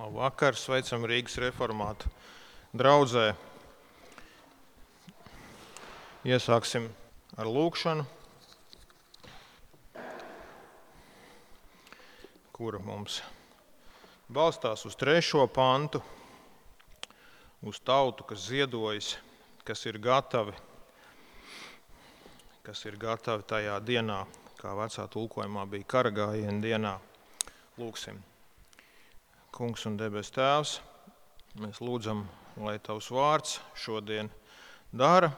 Labvakar, sveicam Rīgas reformātu draudzē. Iesāksim ar lūkšanu, kura mums balstās uz 3. pantu, uz tautu, kas ziedojas, kas ir gatavi tajā dienā, kā vecā tulkojumā bija kara gājiena dienā. Lūksim. Kungs un debes Tēvs, mēs lūdzam, lai Tavs vārds šodien dara,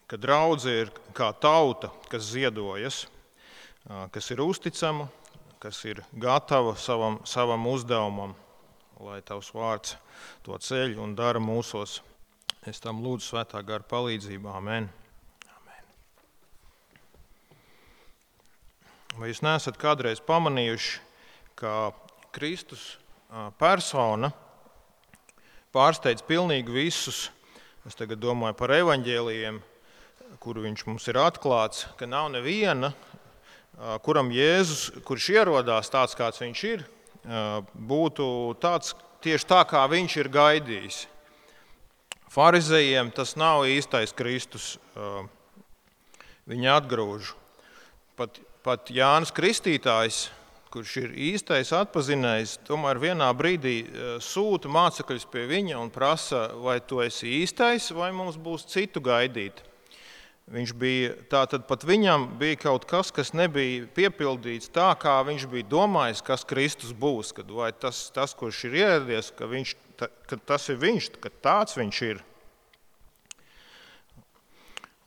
ka draudze ir kā tauta, kas ziedojas, kas ir uzticama, kas ir gatava savam uzdevumam, lai Tavs vārds to ceļ un dara mūsos. Es tam lūdzu svētā gara palīdzību. Amen. Vai jūs neesat kādreiz pamanījuši, ka Kristus persona pārsteidz pilnīgi visus? Es tagad domāju par evaņģēlijiem, kuru viņš mums ir atklāts, ka nav neviena, kuram Jēzus, kurš ierodās tāds, kāds viņš ir, būtu tāds tieši tā, kā viņš ir gaidījis. Farizejiem tas nav īstais Kristus, viņi atgrūž. Pat Jānis Kristītājs, kurš ir īstais atpazinējs, tomēr vienā brīdī sūta mācekļus pie viņa un prasa, vai tu esi īstais, vai mums būs citu gaidīt. Tātad pat viņam bija kaut kas, kas nebija piepildīts tā, kā viņš bija domājis, kas Kristus būs, vai tas kurš ir ieradies, ka tas ir viņš, ka tāds viņš ir.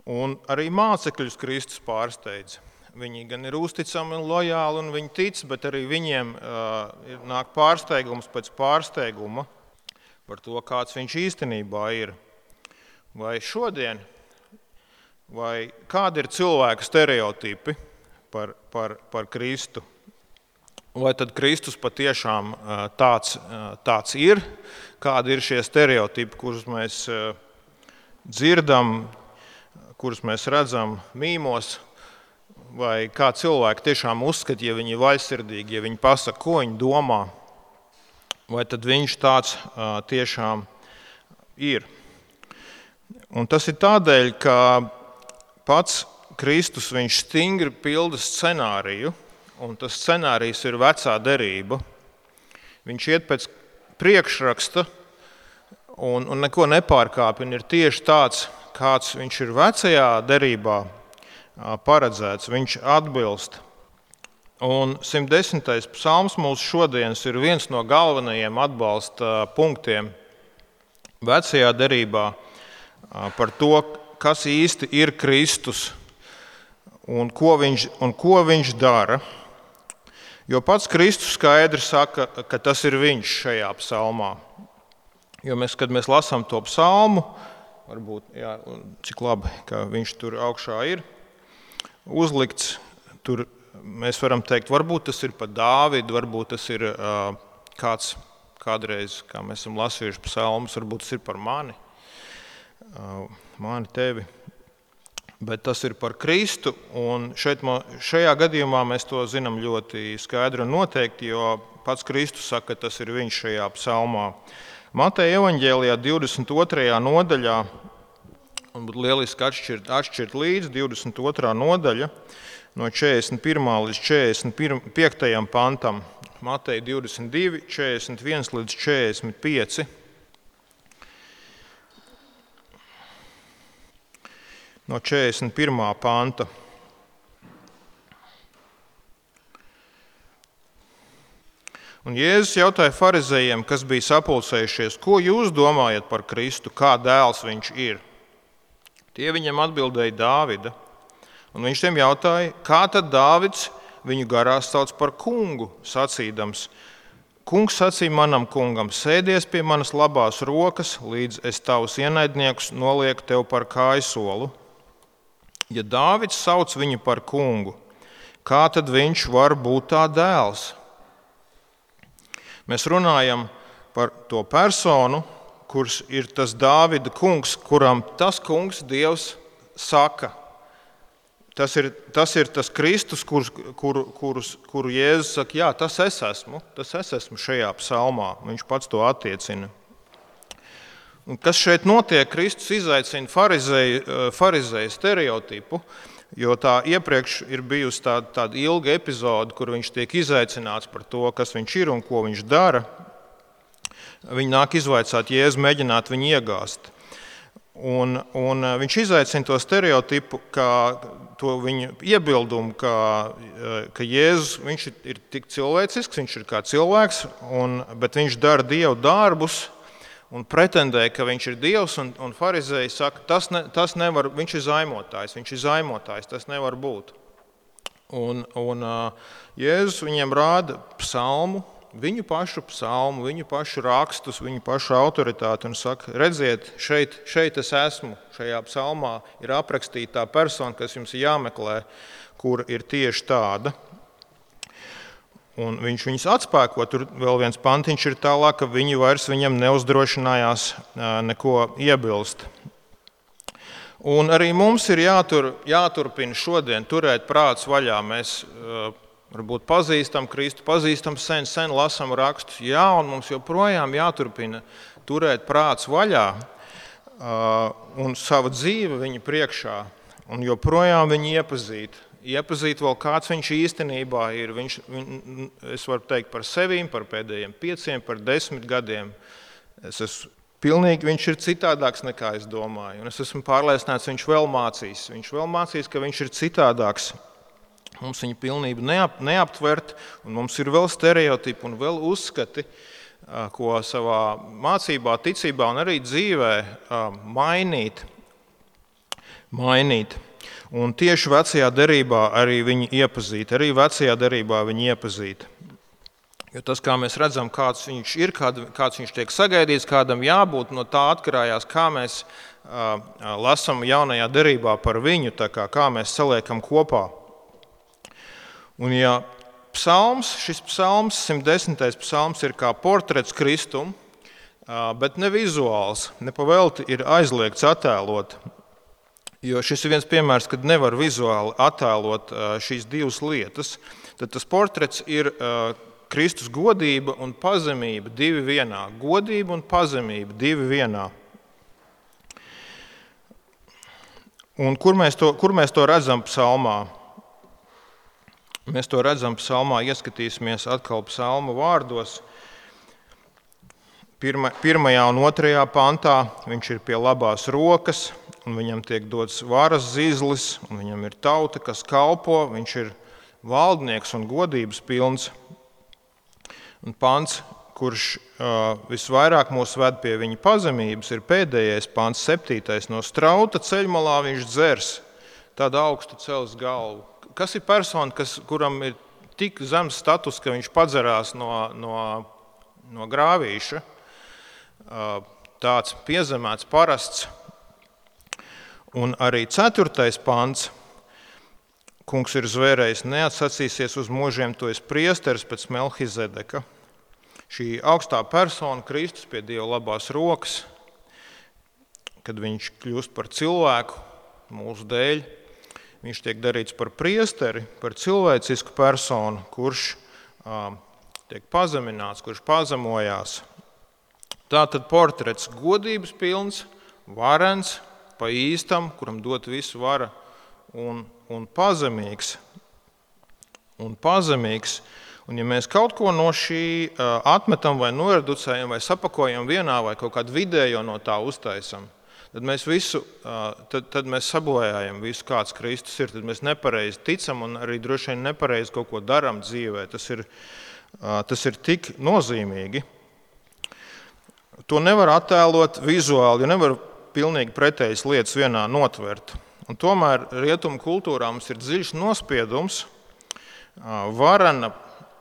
Un arī mācekļus Kristus pārsteidz. Viņi gan ir uzticami un lojāli un viņi tic, bet arī viņiem nāk pārsteigums pēc pārsteiguma par to, kāds viņš īstenībā ir. Vai šodien, vai kādi ir cilvēku stereotipi par Kristu? Vai tad Kristus patiešām tāds ir? Kādi ir šie stereotipi, kurus mēs dzirdam, kurus mēs redzam mīmos? Vai kā cilvēki tiešām uzskata, ja viņi ir vaļsirdīgi, ja viņi pasaka, ko viņi domā, vai tad viņš tāds tiešām ir. Un tas ir tādēļ, ka pats Kristus viņš stingri pilda scenāriju, un tas scenārijs ir vecā derība. Viņš iet pēc priekšraksta un neko nepārkāpj, un ir tieši tāds, kāds viņš ir vecajā derībā paredzēts, viņš atbilst. Un 110. psalms mūsu šodienas ir viens no galvenajiem atbalsta punktiem vecajā derībā par to, kas īsti ir Kristus un ko viņš dara. Jo pats Kristus skaidri saka, ka tas ir viņš šajā psalmā. Jo kad mēs lasām to psalmu, varbūt, cik labi, ka viņš tur augšā ir uzlikts, tur mēs varam teikt, varbūt tas ir par Dāvidu, varbūt tas ir kādreiz, kā mēs esam lasījuši psalmus, varbūt tas ir par mani, tevi. Bet tas ir par Kristu, un šajā gadījumā mēs to zinām ļoti skaidri un noteikti, jo pats Kristus saka, ka tas ir viņš šajā psalmā. Mateja evaņģēlijā 22. nodaļā, un būtu lieliski atšķirt līdz 22. nodaļa no 41. līdz 45. pantam. Mateja 22, 41 līdz 45. No 41. panta. Un Jēzus jautāja farizejiem, kas bija sapulcējušies, ko jūs domājat par Kristu, kā dēls viņš ir? Tie viņam atbildēja Dāvida, un viņš tiem jautāja, kā tad Dāvids viņu garās sauc par kungu, sacīdams, kungs sacīja manam kungam, sēdies pie manas labās rokas, līdz es tavus ienaidniekus nolieku tev par kājsolu. Ja Dāvids sauc viņu par kungu, kā tad viņš var būt tā dēls? Mēs runājam par to personu, kurš ir tas Dāvida kungs, kuram tas kungs Dievs saka, tas ir tas Kristus, kuru Jēzus saka, jā, tas es esmu šajā psalmā. Viņš pats to attiecina. Un kas šeit notiek? Kristus izaicina farizēju stereotipu, jo tā iepriekš ir bijusi tāda ilga epizode, kur viņš tiek izaicināts par to, kas viņš ir un ko viņš dara. Viņi nāk izvaicāt Jēzu, mēģināt viņu iegāzt. Un viņš izaicina to stereotipu, to viņa iebildumu, ka Jēzus viņš ir tik cilvēcisks, viņš ir kā cilvēks, bet viņš dara Dievu darbus un pretendē, ka viņš ir Dievs. Un farizēji saka, tas nevar, viņš ir zaimotājs, tas nevar būt. Un Jēzus viņiem rāda psalmu, viņu pašu rakstus, viņu pašu autoritāti un saka, redziet, šeit es esmu, šajā psalmā ir aprakstīta tā persona, kas jums ir jāmeklē, kur ir tieši tāda. Un viņš viņus atspēko, tur vēl viens pantiņš ir tālāk, ka viņi vairs viņam neuzdrošinājās neko iebilst. Un arī mums ir jāturpina šodien turēt prāts vaļā. Mēs varbūt pazīstam Kristu, pazīstam sen lasam rakstus, jā, un mums joprojām jāturpina turēt prāts vaļā un sava dzīve viņa priekšā, un joprojām viņu iepazīt vēl kāds viņš īstenībā ir. Es varu teikt par sevīm, par pēdējiem 5, par 10 gadiem. Viņš ir citādāks nekā es domāju, un es esmu pārliecināts, viņš vēl mācīs, ka viņš ir citādāks. Mums viņa pilnība neaptvert, un mums ir vēl stereotipi un vēl uzskati, ko savā mācībā, ticībā un arī dzīvē mainīt. Un tieši vecajā derībā arī viņu iepazīt. Jo tas, kā mēs redzam, kāds viņš ir, kāds viņš tiek sagaidīts, kādam jābūt, no tā atkarājās, kā mēs lasam jaunajā derībā par viņu, kā mēs saliekam kopā. Un ja šis psalms, 110. psalms, ir kā portrets Kristum, bet ne vizuāls, nepavelti ir aizliegts attēlot, jo šis ir viens piemērs, kad nevar vizuāli attēlot šīs divas lietas, tad tas portrets ir Kristus godība un pazemība divi vienā. Godība un pazemība divi vienā. Un kur mēs to redzam psalmā? Mēs to redzam psalmā, ieskatīsimies atkal psalma vārdos. 1. un 2. pantā viņš ir pie labās rokas, un viņam tiek dots varas zīzlis, un viņam ir tauta, kas kalpo, viņš ir valdnieks un godības pilns. Un pants, kurš visvairāk mūs ved pie viņa pazemības, ir pēdējais pants, 7. No strauta ceļmalā viņš dzers, tādu augstu cels galvu. Kas ir persona, kuram ir tik zems status, ka viņš padzerās no grāvīša? Tāds piezemēts, parasts. Un arī 4. pants. Kungs ir zvērējis, neatsacīsies uz mūžiem, to es priesteris pēc Melhizedeka. Šī augstā persona, Kristus pie Dieva labās rokas, kad viņš kļūst par cilvēku mūsu dēļ, viņš tiek darīts par priesteri, par cilvēcisku personu, kurš tiek pazemināts, kurš pazemojās. Tātad portrets godības pilns, varens, pa īstam, kuram dot visu vara, un pazemīgs. Un ja mēs kaut ko no šī atmetam vai noreducējam vai sapakojam vienā vai kaut kādu vidējo no tā uztaisam, tad mēs sabojājam visu, kāds Kristus ir, tad mēs nepareizi ticam un arī droši vien nepareizi kaut ko darām dzīvē. Tas ir tik nozīmīgi. To nevar attēlot vizuāli, jo nevar pilnīgi pretējas lietas vienā notvert. Un tomēr rietumu kultūrā mums ir dziļš nospiedums varena,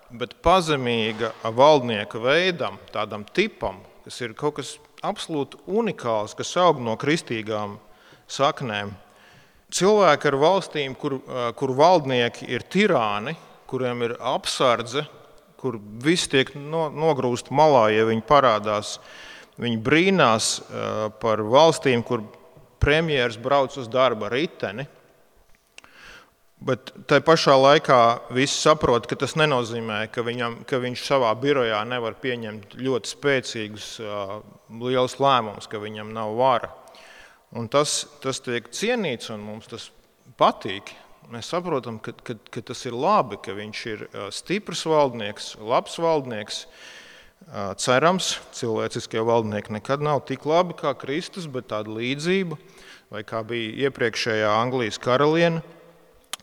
bet pazemīga valdnieka veidam, tādam tipam, kas ir kaut kas absolūti unikāls, kas aug no kristīgām saknēm. Cilvēki ar valstīm, kur valdnieki ir tirāni, kuriem ir apsardze, kur viss tiek nogrūst malā, ja viņi parādās. Viņi brīnās par valstīm, kur premjeras brauc uz darba riteni. Bet tai pašā laikā visi saprot, ka tas nenozīmē, ka viņš savā birojā nevar pieņemt ļoti spēcīgus, lielus lēmumus, ka viņam nav vara. Un tas tiek cienīts, un mums tas patīk. Mēs saprotam, ka tas ir labi, ka viņš ir stiprs valdnieks, labs valdnieks. Cerams, cilvēciskie valdnieki nekad nav tik labi kā Kristus, bet tāda līdzība, vai kā bija iepriekšējā Anglijas karaliene,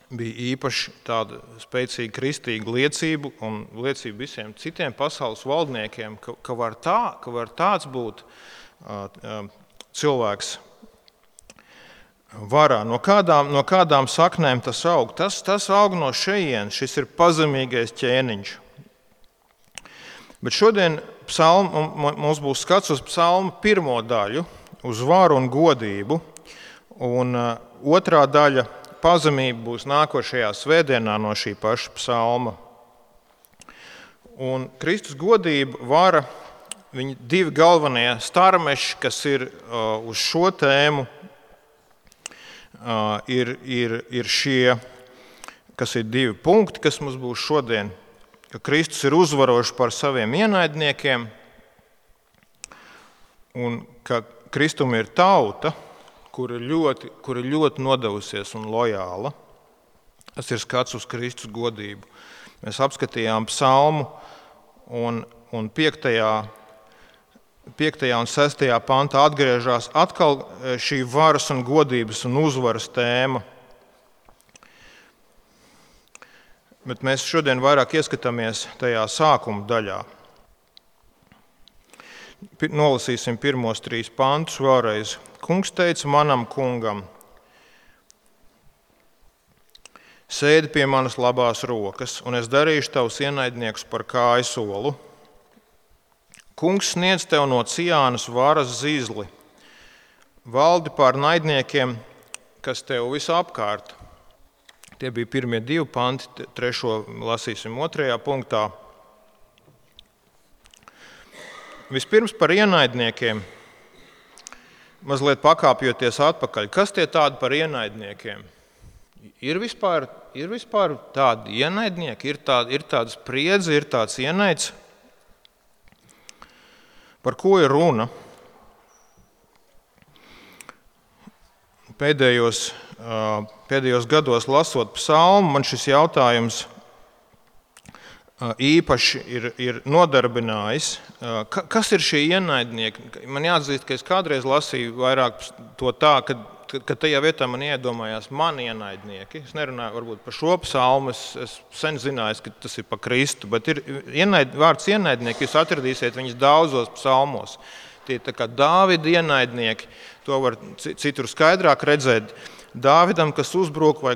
bija īpaši tāda spēcīga kristīga liecība un liecība visiem citiem pasaules valdniekiem, ka var tāds būt cilvēks varā. No kādām saknēm tas aug? Tas aug no šejienes, šis ir pazemīgais ķēniņš. Bet šodien mums būs skats uz psalma pirmo daļu, uz varu un godību, un otrā daļa pazemība būs nākošajā svētdienā no šī paša psalma. Un Kristus godība, vara, viņi divi galvenie starmeši, kas ir uz šo tēmu, ir šie, kas ir divi punkti, kas mums būs šodien. Ka Kristus ir uzvarošs par saviem ienaidniekiem un ka Kristum ir tauta, kur ir ļoti nodevusies un lojāla. Tas ir skats uz Kristus godību. Mēs apskatījām psalmu un 5. un 6. pantā atgriežas atkal šī varas un godības un uzvaras tēma. Bet mēs šodien vairāk ieskatāmies tajā sākuma daļā. Nolasīsim pirmos 3 pantus vēlreiz. Kungs teica manam kungam: sēdi pie manas labās rokas, un es darīšu tavus ienaidniekus par kājsolu. Kungs sniedz tev no Ciānas varas zīzli, valdi pār naidniekiem, kas tev visapkārt. Tie bija pirmie 2 panti, 3. lasīsim 2. punktā. Vispirms par ienaidniekiem, mazliet pakāpjoties atpakaļ. Kas tie tādi par ienaidniekiem? Ir vispār tādi ienaidnieki, ir tāda spriedze, ir tāds ienaids. Par ko ir runa? Pēdējos gados lasot psalmu, man šis jautājums īpaši ir nodarbinājis. Kas ir šie ienaidnieki? Man jāatzīst, ka es kādreiz lasīju vairāk to tā, ka tajā vietā man iedomājās mani ienaidnieki. Es nerunāju varbūt par šo psalmu, es sen zināju, ka tas ir pa Kristu, bet ir vārds ienaidnieki, jūs atradīsiet viņus daudzos psalmos. Tie tā kā Dāvida ienaidnieki, to var citur skaidrāk redzēt. Dāvidam, kas uzbruk vai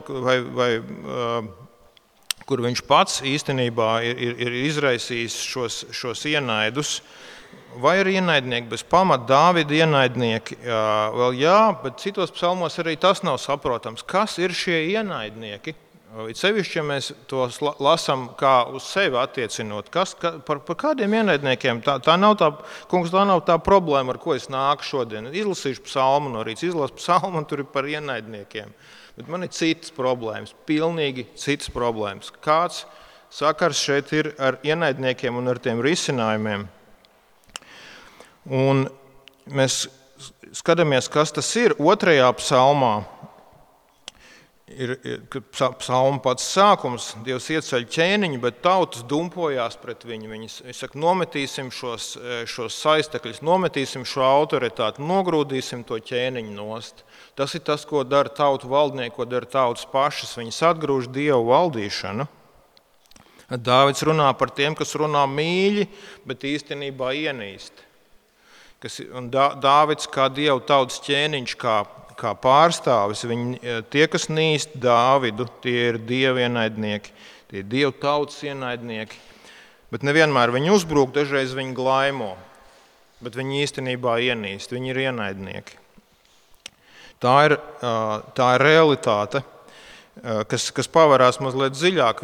kur viņš pats īstenībā ir izraisījis šos ienaidus, vai ir ienaidnieki bez pamata, Dāvida ienaidnieki, vēl jā, bet citos psalmos arī tas nav saprotams. Kas ir šie ienaidnieki? Sevišķi, ja mēs tos lasām kā uz sevi attiecinot, par kādiem ienaidniekiem, tā nav tā problēma, ar ko es nāku šodien. Izlasīšu psalmu no rīta, izlasu psalmu un tur ir par ienaidniekiem. Bet man ir citas problēmas, pilnīgi citas problēmas. Kāds sakars šeit ir ar ienaidniekiem un ar tiem risinājumiem? Un mēs skatāmies, kas tas ir 2. psalmā. Ir psalma pats sākums, Dievs ieceļ ķēniņu, bet tautas dumpojās pret viņu. Viņi saka, nometīsim šos saistekļus, nometīsim šo autoritāti, nogrūdīsim to ķēniņu nost. Tas ir tas, ko dara tautu valdnieki, ko dara tautas pašas. Viņas atgrūž Dievu valdīšanu. Dāvids runā par tiem, kas runā mīļi, bet īstenībā ienīst. Dāvids kā Dievu tautas ķēniņš, kā pārstāvis, tie, kas nīst Dāvidu, tie ir Dieva ienaidnieki, tie ir Dieva tautas ienaidnieki. Bet nevienmēr viņi uzbrūk, dažreiz viņi glaimo, bet viņi īstenībā ienīst, viņi ir ienaidnieki. Tā ir realitāte, kas pavarās mazliet dziļāk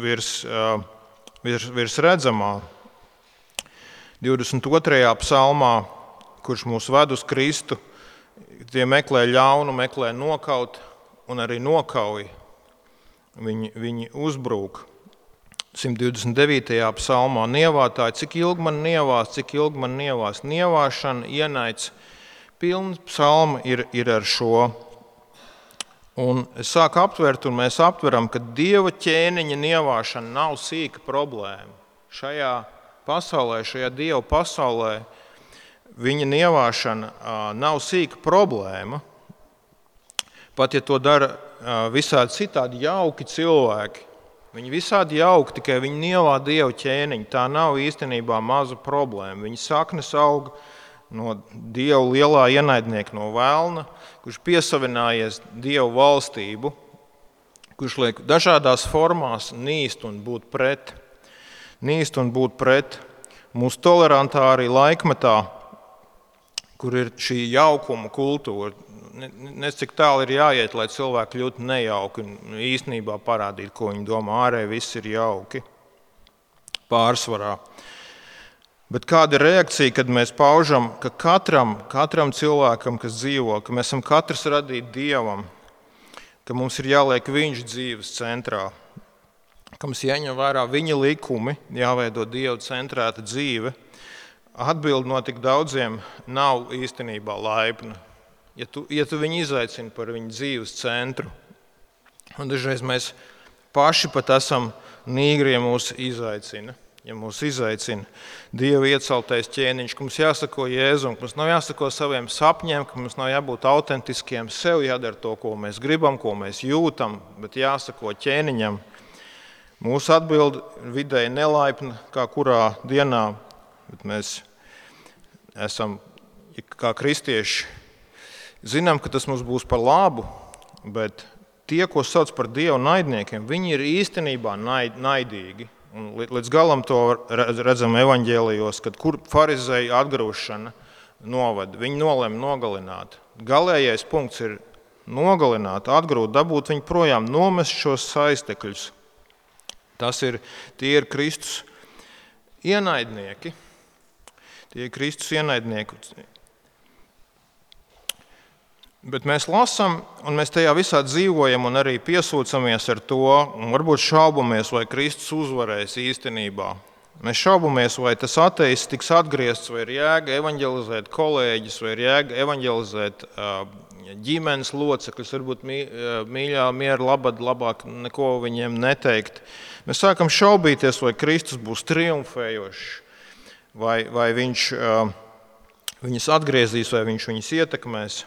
virs redzamā. 22. psalmā, kurš mūs ved uz Kristu, tie meklē ļaunu, meklē nokaut un arī nokauj. viņi uzbrūk. 129. psalmā nievātāji, cik ilgi man nievās. Nievāšana, ienaids, pilns psalma ir ar šo. Un es sāku aptvert, un mēs aptveram, ka Dieva ķēniņa nievāšana nav sīka problēma. Šajā pasaulē, šajā Dieva pasaulē, viņa nievāšana nav sīka problēma. Pat ja to dara visādi citādi jauki cilvēki, viņi visādi jauki, tikai viņi nievā Dieva ķēniņu. Tā nav īstenībā maza problēma. Viņa saknes aug no Dieva lielā ienaidnieka, no velna, kurš piesavinājies Dieva valstību, kurš liek dažādās formās nīst un būt pret. Mūsu tolerantā arī laikmetā, kur ir šī jaukuma kultūra. Cik tālu ir jāiet, lai cilvēki kļūtu nejauki un īstenībā parādīt, ko viņi domā. Ārēji viss ir jauki, pārsvarā. Bet kāda ir reakcija, kad mēs paužam, ka katram cilvēkam, kas dzīvo, ka mēs esam katrs radīti Dievam, ka mums ir jāliek viņš dzīves centrā, ka mums jāņem vērā viņa likumi, jāveido Dieva centrēta dzīve. Atbilde no tik daudziem nav īstenībā laipna. Ja tu viņu izaicini par viņu dzīves centru, un dažreiz mēs paši pat esam nīgri, ja mūs izaicina. Ja mūs izaicina Dieva ieceltais ķēniņš, ka mums jāsako Jēzum, ka mums nav jāsako saviem sapņiem, ka mums nav jābūt autentiskiem, sev jādara to, ko mēs gribam, ko mēs jūtam, bet jāsako ķēniņam. Mūsu atbilde vidēji nelaipna, kā kurā dienā, bet mēs esam, kā kristieši, zinām, ka tas mums būs par labu, bet tie, ko sauc par Dieva naidniekiem, viņi ir īstenībā naidīgi. Un līdz galam to redzam evaņģēlijos, kad kur farizēju atgrūšana novada. Viņi nolēma nogalināt. Galējais punkts ir nogalināt, atgrūt, dabūt viņu projām, nomest šos saistekļus. Tie ir Kristus ienaidnieki. Bet mēs lasām, un mēs tajā visā dzīvojam un arī piesūcamies ar to, un varbūt šaubamies, vai Kristus uzvarēs īstenībā. Mēs šaubamies, vai tas ateists tiks atgriezts, vai ir jēga evaņģelizēt kolēģis, vai ir jēga evaņģelizēt ģimenes locekļus, varbūt mīļā, miera, labāk neko viņiem neteikt. Mēs sākam šaubīties, vai Kristus būs triumfējošs, vai viņš viņus atgriezīs, vai viņš viņus ietekmēs.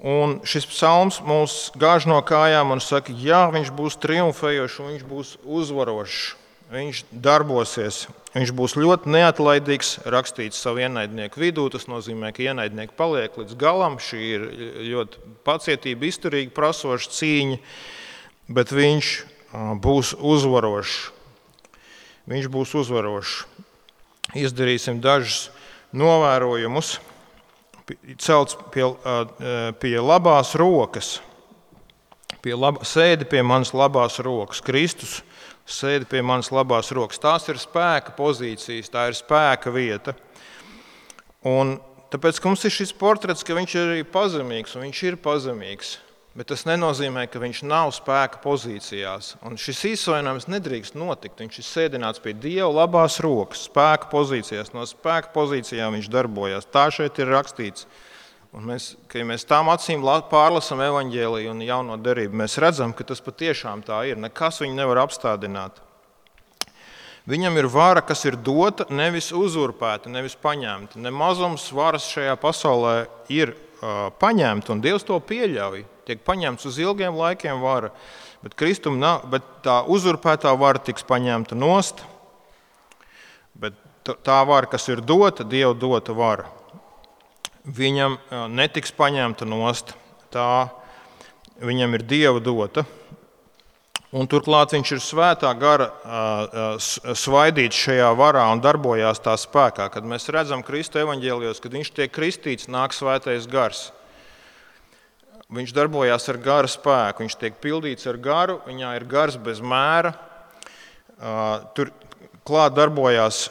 Un šis psalms mūs gāž no kājām un saka, jā, viņš būs triumfējošs un viņš būs uzvarošs. Viņš darbosies, viņš būs ļoti neatlaidīgs, rakstīts savu ienaidnieku vidū. Tas nozīmē, ka ienaidnieki paliek līdz galam. Šī ir ļoti pacietība, izturīgi prasoša cīņa, bet viņš būs uzvarošs. Izdarīsim dažus novērojumus. Celts pie labās rokas, sēdi pie manas labās rokas. Kristus sēdi pie manas labās rokas. Tās ir spēka pozīcijas, tā ir spēka vieta. Un tāpēc, ka mums ir šis portrets, ka viņš ir arī pazemīgs, un viņš ir pazemīgs, bet tas nenozīmē, ka viņš nav spēka pozīcijās. Un šis īsojums nedrīkst notikt. Viņš ir sēdināts pie Dieva labās rokas, spēka pozīcijās. No spēka pozīcijām viņš darbojās. Tā šeit ir rakstīts. Un mēs tām acīm pārlasam evaņģēliju un jauno derību, mēs redzam, ka tas patiešām tā ir. Nekas viņu nevar apstādināt. Viņam ir vara, kas ir dota, nevis uzurpēta, nevis paņemta. Ne mazums varas šajā pasaulē ir paņemta, un Dievs to pieļauj. Tiek paņemts uz ilgiem laikiem vara, bet Kristum nav, bet tā uzurpētā vara tiks paņemta nost, bet tā vara, kas ir dota, Dieva dota vara, viņam netiks paņemta nost, tā viņam ir Dieva dota, un turklāt viņš ir svētā gara svaidīts šajā varā un darbojās tā spēkā. Kad mēs redzam Kristu evaņģēlijos, kad viņš tiek kristīts, nāk svētais gars. Viņš darbojās ar gara spēku, viņš tiek pildīts ar garu, viņā ir gars bez mēra. Tur klāt darbojās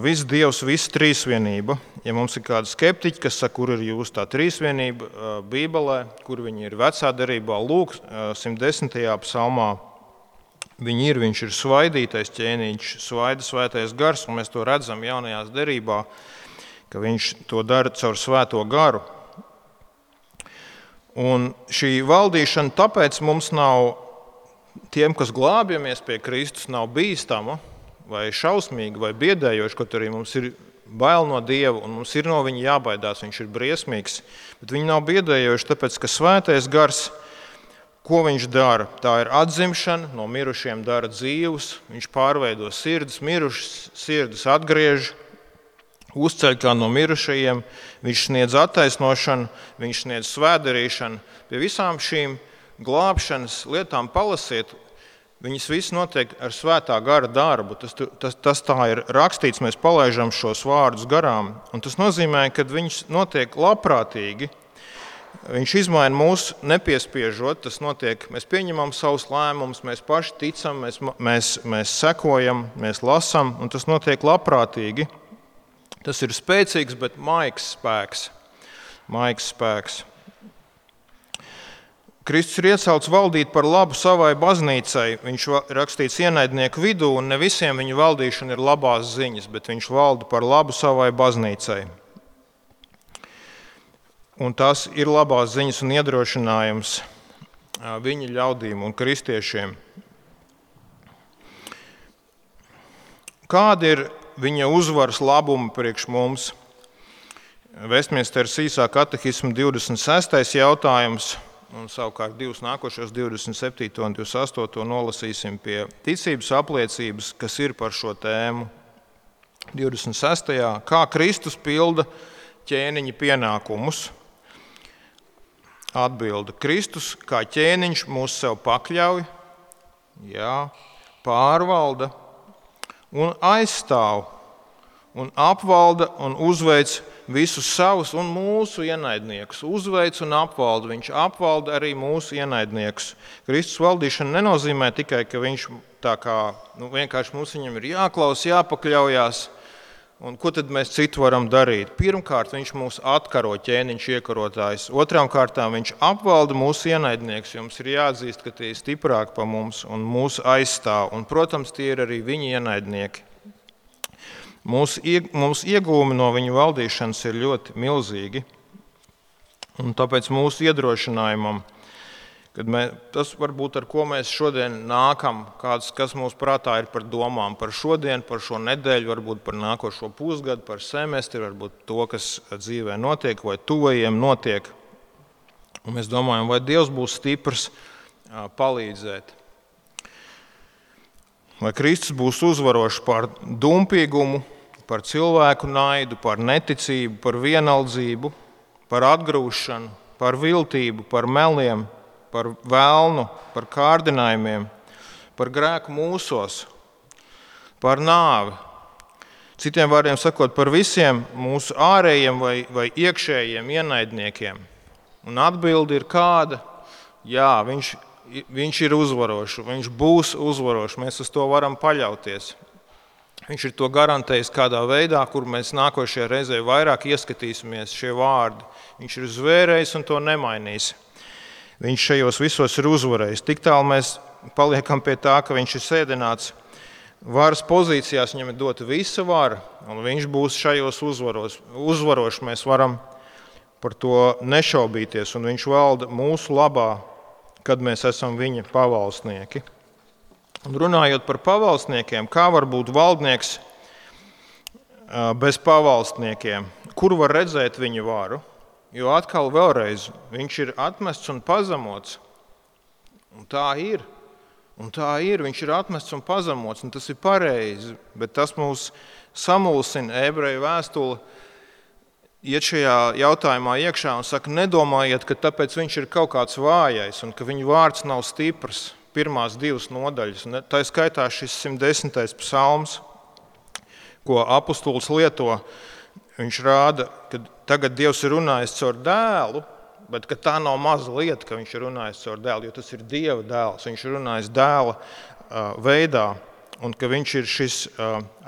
viss Dievs, visa trīsvienība. Ja mums ir kādi skeptiķi, kas saka, kur ir jūsu tā trīsvienība Bībelē, kur viņi ir vecā derībā, lūk, 110. psalmā, viņš ir svaidītais ķēniņš, svaida svētais gars, un mēs to redzam jaunajās derībā, ka viņš to dara caur svēto garu. Un šī valdīšana tāpēc mums nav, tiem, kas glābjamies pie Kristus, nav bīstama vai šausmīga vai biedējoša, kaut arī mums ir bail no Dieva un mums ir no viņa jābaidās, viņš ir briesmīgs, bet viņi nav biedējoši, tāpēc, ka svētais gars, ko viņš dara? Tā ir atzimšana, no mirušiem dara dzīvus, viņš pārveido sirdis, mirušas sirdis atgriež, uzceļ kā no mirušajiem, viņš sniedz attaisnošanu, viņš sniedz svētdarīšanu. Pie visām šīm glābšanas lietām palasiet, viņas viss notiek ar svētā gara darbu. Tas tā ir rakstīts, mēs palaižam šos vārdus garām, un tas nozīmē, ka viņš notiek labprātīgi. Viņš izmaina mūs nepiespiežot, tas notiek, mēs pieņemam savus lēmumus, mēs paši ticam, mēs sekojam, mēs lasam, un tas notiek labprātīgi. Tas ir spēcīgs, bet maigs spēks. Kristus ir iecelts valdīt par labu savai baznīcai. Viņš rakstīts ienaidnieku vidū, un ne visiem viņa valdīšana ir labās ziņas, bet viņš valda par labu savai baznīcai. Un tas ir labās ziņas un iedrošinājums viņa ļaudīm un kristiešiem. Kāda ir viņa uzvaras labuma priekš mums? Vestminsteras īsā katehisma 26. jautājums, un savukārt divus nākošos 27. un 28. nolasīsim pie ticības apliecības, kas ir par šo tēmu. 26. Kā Kristus pilda ķēniņa pienākumus? Atbilde. Kristus kā ķēniņš mūs sev pakļauj, pārvalda un aizstāv un apvalda un uzveic visus savus un mūsu ienaidniekus. Uzveic un apvalda. Viņš apvalda arī mūsu ienaidniekus. Kristus valdīšana nenozīmē tikai, ka viņš tā kā vienkārši mums viņam ir jāklaus, jāpakļaujās. Un ko tad mēs citu varam darīt? Pirmkārt, viņš mūs atkaro, ķēniņš iekarotājs. Otrām kārtām, viņš apvalda mūsu ienaidniekus. Jums ir jāatzīst, ka tie ir stiprāki par mums un mūsu aizstāv. Un, protams, tie ir arī viņa ienaidnieki. Mūsu iegūmi no viņa valdīšanas ir ļoti milzīgi. Un tāpēc mūsu iedrošinājumam, tas varbūt ar ko mēs šodien nākam, kas mūsu prātā ir par domām par šodien, par šo nedēļu, varbūt par nākošo pusgadu, par semestri, varbūt to, kas dzīvē notiek vai tuvajiem notiek. Un mēs domājam, vai Dievs būs stiprs palīdzēt. Vai Kristus būs uzvarošs par dumpīgumu, par cilvēku naidu, par neticību, par vienaldzību, par atgrūšanu, par viltību, par meliem, par vēlnu, par kārdinājumiem, par grēku mūsos, par nāvi. Citiem vārdiem sakot, par visiem mūsu ārējiem vai iekšējiem ienaidniekiem. Un atbilde ir kāda? Jā, viņš ir uzvarošs, viņš būs uzvarošs, mēs uz to varam paļauties. Viņš ir to garantējis kādā veidā, kur mēs nākošajā reizē vairāk ieskatīsimies šie vārdi. Viņš ir zvērējis un to nemainīs. Viņš šajos visos ir uzvarējis. Tik tālu mēs paliekam pie tā, ka viņš ir sēdināts varas pozīcijās, viņam ir dota visa vara, un viņš būs šajos uzvarošs. Mēs varam par to nešaubīties, un viņš valda mūsu labā, kad mēs esam viņa pavalsnieki. Un runājot par pavalsniekiem, kā var būt valdnieks bez pavalsniekiem? Kur var redzēt viņa varu? Jo atkal vēlreiz, viņš ir atmests un pazemots. Un tā ir. Viņš ir atmests un pazemots, un tas ir pareizi. Bet tas mūs samulsina. Ebreju vēstule iet šajā jautājumā iekšā un saka, nedomājiet, ka tāpēc viņš ir kaut kāds vājais un ka viņa vārds nav stiprs. Pirmās divas nodaļas. Tā skaitā šis 110. psalms, ko apustulis lieto. Viņš rāda, ka tagad Dievs ir runājis caur dēlu, bet ka tā nav maza lieta, ka viņš ir runājis caur dēlu, jo tas ir Dieva dēls. Viņš ir runājis dēla veidā. un ka viņš ir šis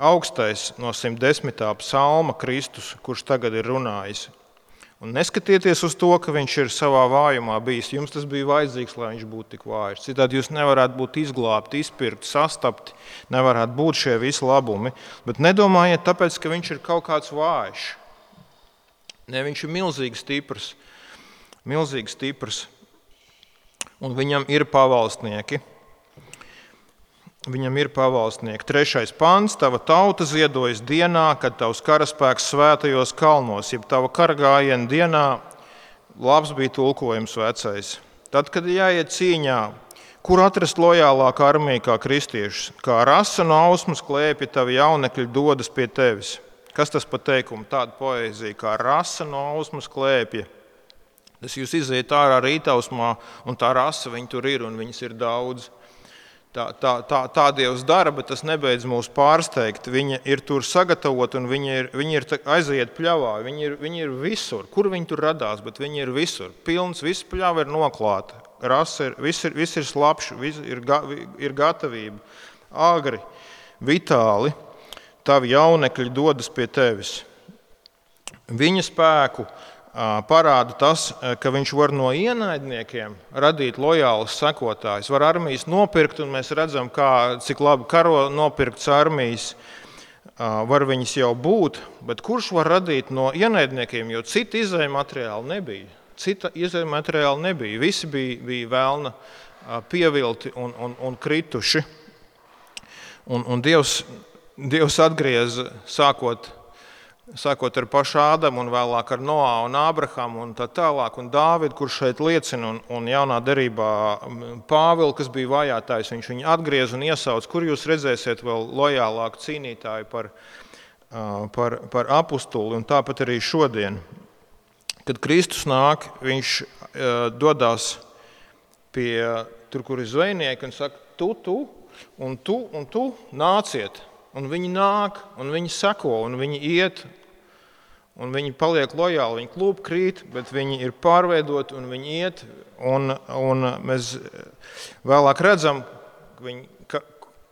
augstais no 110. psalma Kristus, kurš tagad ir runājis. Un neskatieties uz to, ka viņš ir savā vājumā bijis. Jums tas bija vajadzīgs, lai viņš būtu tik vājš. Citādi jūs nevarētu būt izglābti, izpirkti, sastapti, nevarētu būt šie visi labumi. Bet nedomājiet tāpēc, ka viņš ir kaut kāds vājš. Ne, viņš ir milzīgi stiprs. Un viņam ir pavalstnieki. 3. pants. Tava tauta ziedojas dienā, kad tavs karaspēks svētajos kalnos, jeb tava karagājiena dienā, labs bija tulkojums vecais. Tad, kad jāiet cīņā, kur atrast lojālāku armiju kā kristiešus, kā rasa no ausmas klēpja tavi jaunekļi dodas pie tevis. Kas tas pa teikumu? Tāda poēzija, kā rasa no ausmas klēpja. Tas jūs iziet ārā rītausmā, un tā rasa, viņi tur ir, un viņas ir daudz. Tā Dievs dara, bet tas nebeidz mūs pārsteigt. Viņa ir tur sagatavota un viņi ir aiziet pļavā. Viņi ir visur. Kur viņi tur radās, bet viņi ir visur. Pilns, viss pļava ir noklāta. Rasa ir, viss ir slapš, ir gatavība. Agri, vitāli, tavi jaunekļi dodas pie tevis. Viņa spēku parāda tas, ka viņš var no ienaidniekiem radīt lojālus sekotājus. Var armijas nopirkt, un mēs redzam, cik labi karo nopirkts armijas. Var viņas jau būt, bet kurš var radīt no ienaidniekiem, jo cita izējmateriāla nebija. Visi bija vēlna pievilti un krituši. Un Dievs atgrieza sākot ar pašu Ādamu un vēlāk ar Noā un Ābrahamu un tā tālāk, un Dāvidu, kurš šeit liecina, un jaunā derībā Pāvilu, kas bija vajātājs, viņš viņu atgriez un iesauc, kur jūs redzēsiet vēl lojālāku cīnītāju par apustuli, un tāpat arī šodien. Kad Kristus nāk, viņš dodās pie tur, kur ir zvejnieki, un saka, tu nāciet. Un viņi nāk, un viņi seko, un viņi iet, un viņi paliek lojāli, viņi klūpkrīt, bet viņi ir pārveidoti, un viņi iet, un mēs vēlāk redzam,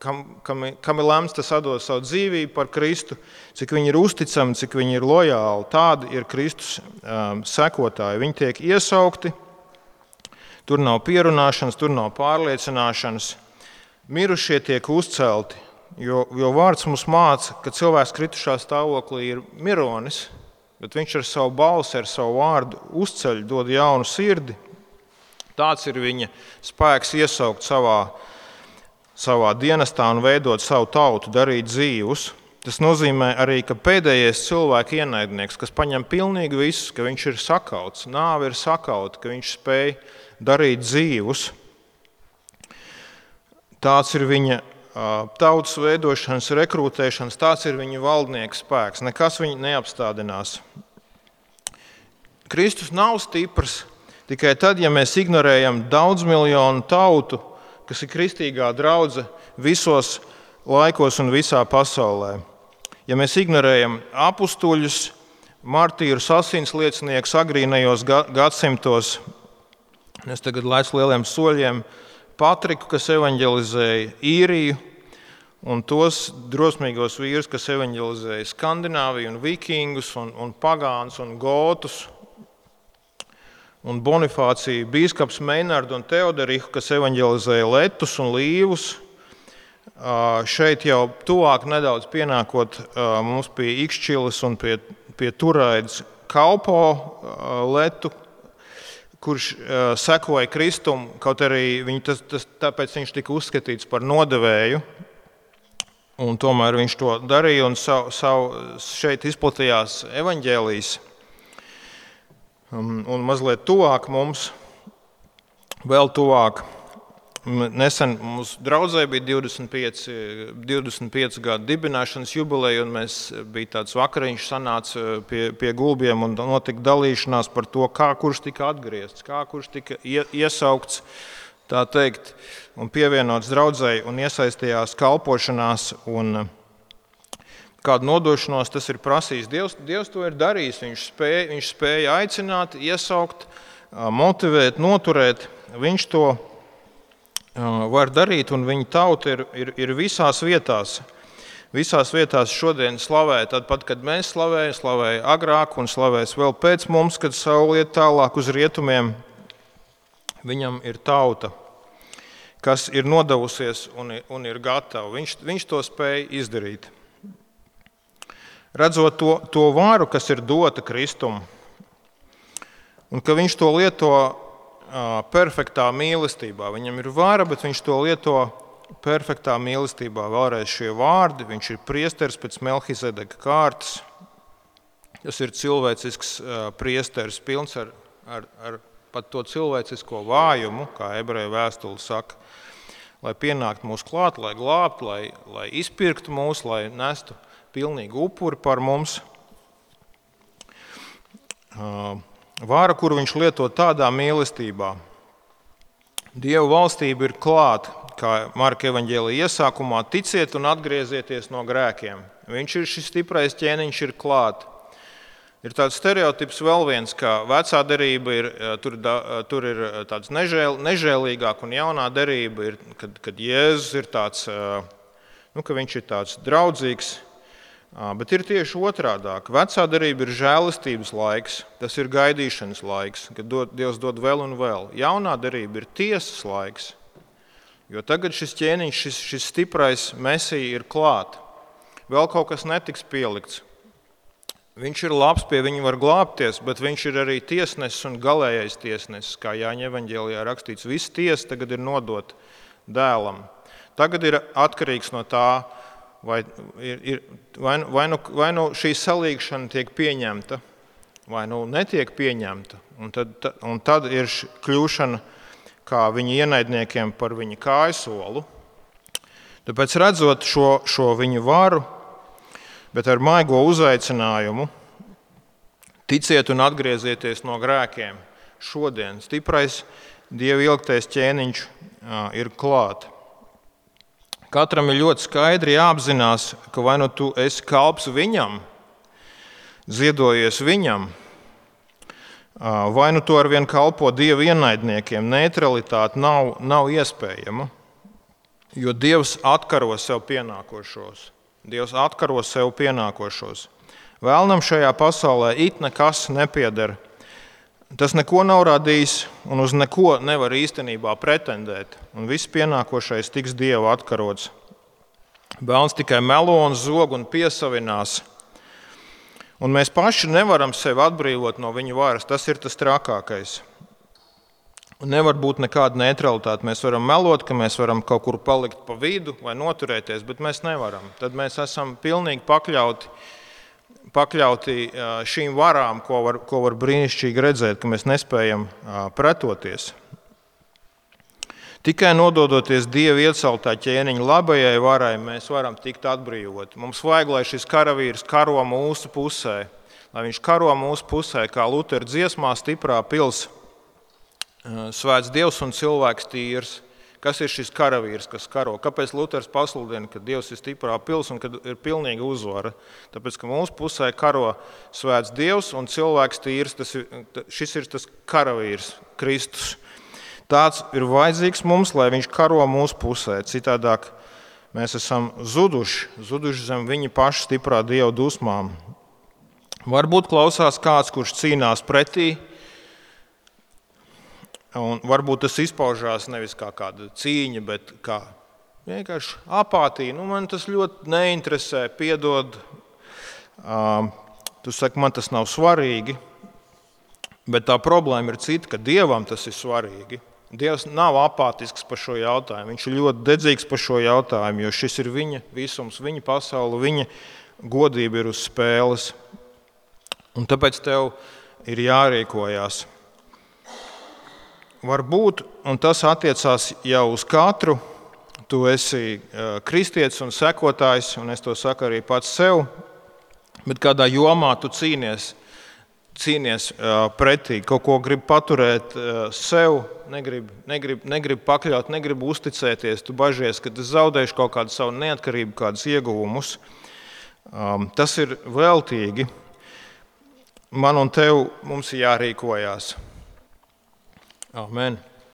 kam ir lemts tas atdot savu dzīvību par Kristu, cik viņi ir uzticami, cik viņi ir lojāli. Tādi ir Kristus sekotāji. Viņi tiek iesaukti, tur nav pierunāšanas, tur nav pārliecināšanas. Mirušie tiek uzcelti. Jo vārds mums māca, ka cilvēks kritušā stāvoklī ir mironis, bet viņš ar savu balsi, ar savu vārdu uzceļ, dod jaunu sirdi. Tāds ir viņa spēks iesaukt savā dienestā un veidot savu tautu, darīt dzīvus. Tas nozīmē arī, ka pēdējais cilvēka ienaidnieks, kas paņem pilnīgi visu, ka viņš ir sakauts, nāve ir sakauta, ka viņš spēj darīt dzīvus. Tāds ir viņa tautas veidošanas, rekrutēšanas, tāds ir viņa valdnieka spēks. Nekas viņu neapstādinās. Kristus nav stiprs tikai tad, ja mēs ignorējam daudzmiljonu tautu, kas ir kristīgā draudze visos laikos un visā pasaulē. Ja mēs ignorējam apustuļus, martīrus, asins lieciniekus agrīnajos gadsimtos, es tagad laicu lieliem soļiem, Patriku, kas evaņģelizēja Īriju, un tos drosmīgos vīrus, kas evaņģelizēja Skandināviju, un vikingus, un pagānus, un gotus, un Bonifāciju, bīskaps Meinardu un Teoderihu, kas evaņģelizēja Letus un Līvus. Šeit jau tuvāk nedaudz pienākot mums pie Ikšķiles un pie Turaidas Kalpo Letu, kurš sekoja Kristumu, kaut arī tāpēc viņš tika uzskatīts par nodevēju, un tomēr viņš to darīja, un šeit izplatījās evaņģēlijs. Un mazliet tuvāk mums, vēl tuvāk, nesen mums draudzē bija 25 gadu dibināšanas jubileja, un bija tāds vakariņš sanāca pie gulbiem un notika dalīšanās par to, kurš tika atgriezts, kurš tika iesaukts, tā teikt, un pievienots draudzei un iesaistījās kalpošanās un kādu nodošanos tas ir prasījis. Dievs to ir darījis, viņš spēja aicināt, iesaukt, motivēt, noturēt, viņš to var darīt, un viņa tauta ir visās vietās. Visās vietās šodien slavē, tad pat, kad mēs slavēja agrāk un slavēs vēl pēc mums, kad saule iet tālāk uz rietumiem. Viņam ir tauta, kas ir nodevusies un ir gatava. Viņš to spēja izdarīt. Redzot to varu, kas ir dota Kristum, un ka viņš to lieto perfektā mīlestībā. Viņam ir vara, bet viņš to lieto perfektā mīlestībā. Vēlreiz šie vārdi, viņš ir priesteris pēc Melhizedeka kārtas. Tas ir cilvēcisks priesteris, pilns ar pat to cilvēcisko vājumu, kā ebreju vēstule saka, lai pienāktu mūs klāt, lai glābtu, lai izpirktu mūs, lai nestu pilnīgu upuri par mums. Vāra, kuru viņš lieto tādā mīlestībā. Dieva valstība ir klāta, kā Marka evaņģēlija iesākumā, ticiet un atgriezieties no grēkiem. Viņš ir šis stiprais ķēniņš, ir klāt. Ir tāds stereotips vēl viens, ka vecā derība tur ir tāds nežēlīgāk un jaunā derība ir, kad Jēzus ir tāds, ka viņš ir tāds draudzīgs, bet ir tieši otrādāk. Vecā derība ir žēlistības laiks, tas ir gaidīšanas laiks, kad Dievs dod vēl un vēl. Jaunā derība ir tiesas laiks. Jo tagad šis ķēniņš, šis stiprais mesija ir klāt. Vēl kaut kas netiks pielikts. Viņš ir labs, pie viņa var glābties, bet viņš ir arī tiesnesis un galējais tiesnesis, kā Jāņa evaņģēlijā rakstīts. Viss tiesa tagad ir nodota dēlam. Tagad ir atkarīgs no tā, vai nu šī salīgšana tiek pieņemta, vai nu netiek pieņemta. Un tad ir kļūšana kā viņa ienaidniekiem par viņa kājsolu. Tāpēc redzot šo viņu varu, bet ar maigo uzaicinājumu, ticiet un atgriezieties no grēkiem. Šodien stiprais Dieva ilgtais ķēniņš ir klāt. Katram ir ļoti skaidri jāapzinās, ka vai nu tu esi kalps viņam, ziedojies viņam, vai nu tu arvien kalpo Dieva ienaidniekiem, neutralitāte nav iespējama, jo Dievs atkaro sev pienākošos. Vēlnam šajā pasaulē it nekas nepieder. Tas neko nav radījis un uz neko nevar īstenībā pretendēt. Un viss pienākošais tiks Dieva atkarots. Vēlns tikai melo un zog un piesavinās. Un mēs paši nevaram sevi atbrīvot no viņa varas. Tas ir tas trakākais. Un nevar būt nekāda neutralitāte. Mēs varam melot, ka mēs varam kaut kur palikt pa vidu vai noturēties, bet mēs nevaram. Tad mēs esam pilnīgi pakļauti šīm varām, ko var brīnišķīgi redzēt, ka mēs nespējam pretoties. Tikai nododoties Dieva ieceltā ķēniņa labajai varai, mēs varam tikt atbrīvoti. Mums vajag, lai šis karavīrs karo mūsu pusē, lai viņš karo mūsu pusē, kā Lutera dziesmā Stiprā pils, svēts Dievs un cilvēks tīrs. Kas ir šis karavīrs, kas karo? Kāpēc Luters pasludina, ka Dievs ir stiprā pils un ka ir pilnīga uzvara? Tāpēc, ka mūsu pusē karo svēts Dievs un cilvēks tīrs, šis ir tas karavīrs, Kristus. Tāds ir vajadzīgs mums, lai viņš karo mūsu pusē. Citādāk mēs esam zuduši zem viņa paša stiprā Dieva dusmām. Varbūt klausās kāds, kurš cīnās pretī, un varbūt tas izpaužās nevis kā kāda cīņa, bet kā vienkārši apātija. Man tas ļoti neinteresē, piedod. Tu saki, man tas nav svarīgi, bet tā problēma ir cita, ka Dievam tas ir svarīgi. Dievs nav apātisks par šo jautājumu. Viņš ir ļoti dedzīgs par šo jautājumu, jo šis ir viņa visums, viņa pasaule, viņa godība ir uz spēles. Un tāpēc tev ir jārīkojās. Varbūt, un tas attiecās jau uz katru, tu esi kristietis un sekotājs, un es to saku arī pats sev, bet kādā jomā tu cīnies pretī, kaut ko grib paturēt sev, negrib pakļaut, negrib uzticēties, tu bažies, ka tu zaudēsi kaut kādu savu neatkarību, kādus ieguvumus. Tas ir veltīgi. Man un tev mums ir jārīkojās. Amen.